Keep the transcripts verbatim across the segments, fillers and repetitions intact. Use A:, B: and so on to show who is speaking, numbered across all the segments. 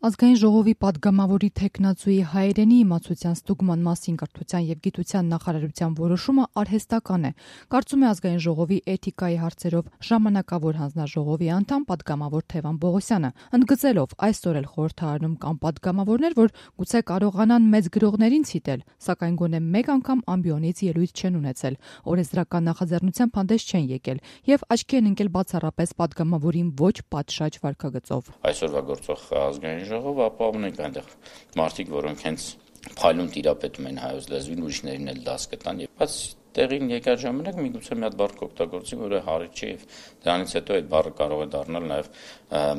A: Ազգային ժողովի պատգամավորի թեկնածուի հայերենի իմացության ստուգման մասին կրթության և գիտության նախարարության որոշումը արհեստական է, կարծում է Ազգային ժողովի էթիկայի հարցերով ժամանակավոր հանձնաժողովի անդամ պատգամավոր Թևան Պողոսյանը, ընդգծելով այսօր էլ խորհրդարանում կան պատգամավորներ, որ գուցե կարողանան մեծ գրողներին ցիտել, սակայն գոնե մեկ անգամ ամբիոնից ելույթ չեն ունեցել, օրենսդրական նախաձեռնությամբ հանդես չեն եկել և աչքի են ընկել բացառապես պատգամավորին ոչ պատշաճ վարքագծով։
B: Այսօրվա գործող ազգային ժողով ապահովում ենք այնտեղ մարդիկ, որոնք հենց փայլուն տիրապետում են հայոց լեզվին, ուրիշներին էլ դաս կտան եւ բայց տեղին եկած ժամանակ միգուցե մի հատ բառ կօգտագործի, որը հարիք չի եւ դրանից հետո այդ բառը կարող է դառնալ նաեւ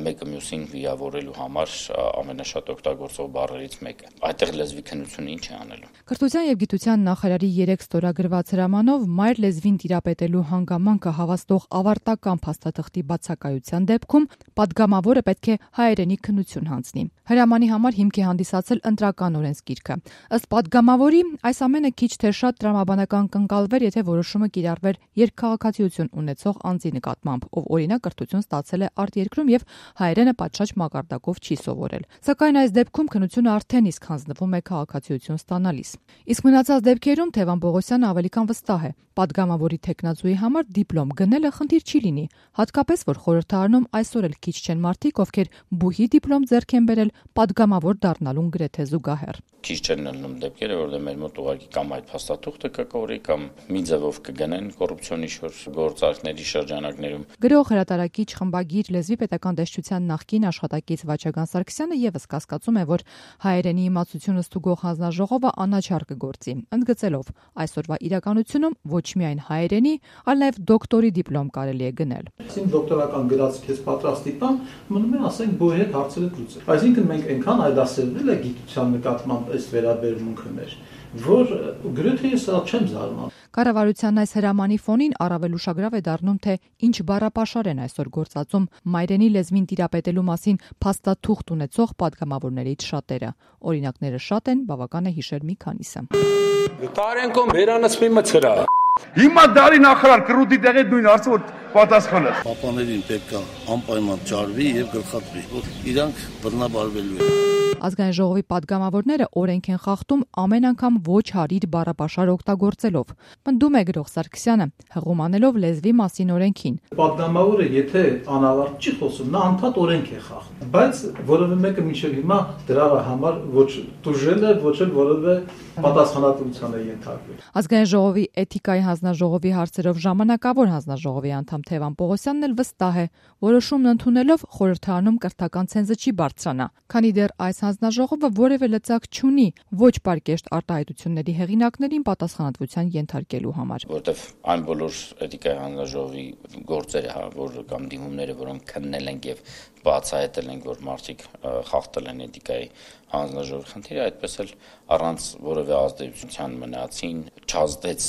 B: մեկը մյուսին վիրավորելու համար ամենաշատ օգտագործող բառերից մեկը։ Այդտեղ լեզվի քննությունը ինչ է անելու։
A: Կրթության եւ գիտության նախարարի երեք ստորագրված հրամանով մայր լեզվին տիրապետելու հանգամանքը հավաստող ավարտական փաստաթղթի բացակայության դեպքում պատգամավորը պետք է հայերենի քննություն հանձնի։ Հրամանի համար հիմք է հանդիսացել ընտրական օրենսգիրքը։ Ըստ պատգամավորի, այս ամենը քիչ թե շատ տրամաբանական կընկալվեր, եթե որոշումը կիրառվեր երկքաղաքացիություն ունեցող անձի նկատմամբ, ով օրինակ կրթություն ստացել է արտերկրում եւ հայերենը պատշաճ մակարդակով չի սովորել։ Սակայն այս դեպքում քննությունը արդեն իսկ հանձնվում է քաղաքացիություն ստանալիս։ Իսկ մնացած դեպքերում Թևան Պողոսյանը ավելի քան վստահ է, պատգամավորի թեկնածուի համար դիպլոմ գնելը խնդիր չի լինի, հատկապես որ խորհրդարանում այսօր էլ քիչ չեն մարդիկ, ովքեր բուհի դիպլոմ ձեռք են բերել պատգամավոր դառնալուն գրեթե զուգահեռ։
B: Քիչ չեն լինում դեպքերը, որտեղ մեր մոտ ուղղակի կամ այդ փաստաթուղթը կկորի, կամ մի ձևով կգնեն կոռուպցիոնի շուրջ գործարքների շրջանակներում։
A: Գրող, հրատարակիչ, խմբագիր, լեզվի պետական դաշտության նախկին աշխատակից Վաչագան Սարգսյանը եւս կասկածում է, որ հայերենի իմացությունը ստուգող հանձնաժողովը անաչառ կգործի, ընդգծելով այսօրվա իրականությունում ոչ միայն հայերենի, այլ նաեւ դոկտորի դիպլոմ կարելի է գնել։
C: Այսինքն դոկտորական գրած քեզ պատրաստի տան, մնում է ասենք բոհի հետ հարցերը լուծել։ Այսինքն մենք այնքան այլասերվել է գիտության նկատմամբ այս վերաբերմունքը մեր, որ գրեթե ես սա չեմ զարմանում։
A: Կառավարության այս հրամանի ֆոնին առավել ուշագրավ է դառնում, թե ինչ բառապաշար են այսօր գործածում մայրենի լեզվին տիրապետելու մասին փաստաթուղթ ունեցող պատգամավորներից շատերը։ Օրինակները շատ են, բավական է հիշել մի քանիսը։
D: Տարենկո վերանացմի մցրա։
E: Հիմա դարի նախարար կրուտի տեղի նույն հարցը որ պատասխանը։
F: Պապաներին պետք է անպայման ջարվի եւ գլխատվի, որ իրանք բռնաբարվելու են։
A: Ազգային ժողովի պատգամավորները օրենք են խախտում ամեն անգամ ոչ հարիր բառապաշար օգտագործելով։ Պնդում է գրող Սարգսյանը, հղում անելով լեզվի մասին օրենքին։
C: Պատգամավորը եթե անավարտ չի խոսում, նա անդադ օրենք է խախտում, բայց որևէ մեկը մինչև հիմա դրա համար ոչ տուժել է, ոչ էլ որևէ պատասխանատվության է ենթարկվել։
A: Ազգային ժողովի էթիկայի հանձնաժողովի հարցերով ժամանակավոր հանձնաժողովի անդամ Թևան Պողոսյանն էլ վստահ է, որոշումն ընդունելով խորհրդարանում կրթական ցենզը չի բարձրանա, քանի դեռ այս հանձնաժողովը որևէ լծակ չունի ոչ պարկեշտ արտահայտությունների հեղինակներին պատասխանատվության ենթարկելու համար։
B: Որտեվ այն բոլոր էթիկայի հանձնաժողովի գործերը, հա, որ կամ դիմումները, որոնք քննել են եւ բացահայտել են, որ մարդիկ խախտել են էթիկայի հանձնաժողովի խնդիրը, այդպես էլ առանց որևէ ազդեցության մնացին, չազդեց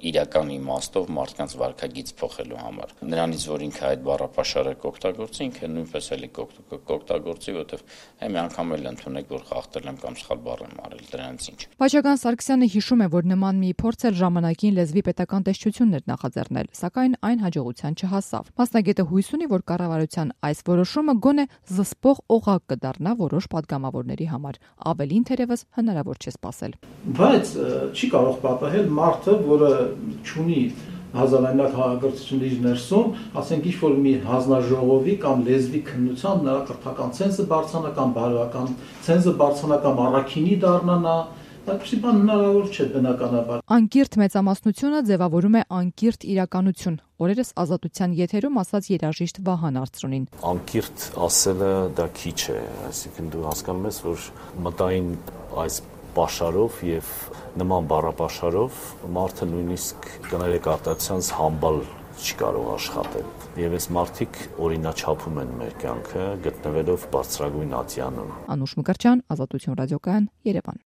B: իրական իմաստով մարդկանց վարքագիծ փոխելու համար։ Նրանից, որ ինքը այդ բառապաշարը կօգտագործի, ինքը նույնպես էլ կօգտագործի, որովհետև մի անգամ էլ ընդունեք, որ խախտել եմ կամ սխալ բառ եմ արել, դրանից ինչ։
A: Վաչագան Սարգսյանը հիշում է, որ նման մի փորձ էլ ժամանակին լեզվի պետական տեսչությունն էր նախաձեռնել, սակայն այն հաջողության չհասավ։ Մասնագետը հույս ունի, որ կառավարության այս որոշումը գոնե զսպող օղակ կդառնա որոշ պատգամավորների համար։ Ավելին թերևս հնարավոր չէ սպասել։
C: Բայց չի կարող պատահել մարդը, որը չունի հազարամյա քաղաքակրթություն իր ներսում, ասենք ինչ-որ մի հանձնաժողովի կամ լեզվի քննության նրա կրթական ցենզը բարձրանա կամ բարոյական ցենզը բարձրանա կամ առաքինի դառնա, այդպիսի բան հնարավոր չէ բնականաբար։
A: Անկիրթ մեծամասնությունը ձևավորում է անկիրթ իրականություն։ Օրերս Ազատության եթերում ասաց երաժիշտ Վահան Արծրունին։
G: Անկիրթ ասելը դա քիչ է, այսինքն դու հասկանում ես, որ մտային այս պաշարով եւ նման բառապաշարով մարդը նույնիսկ կներեք արտացիանց համբալ չի կարող աշխատել։ Եվ այս մարդիկ օրինաչափում են մեր կյանքը, գտնվելով բարձրագույն ատյանում։
A: Անուշ Մկրտչյան, Ազատություն ռադիոկայան, Երևան։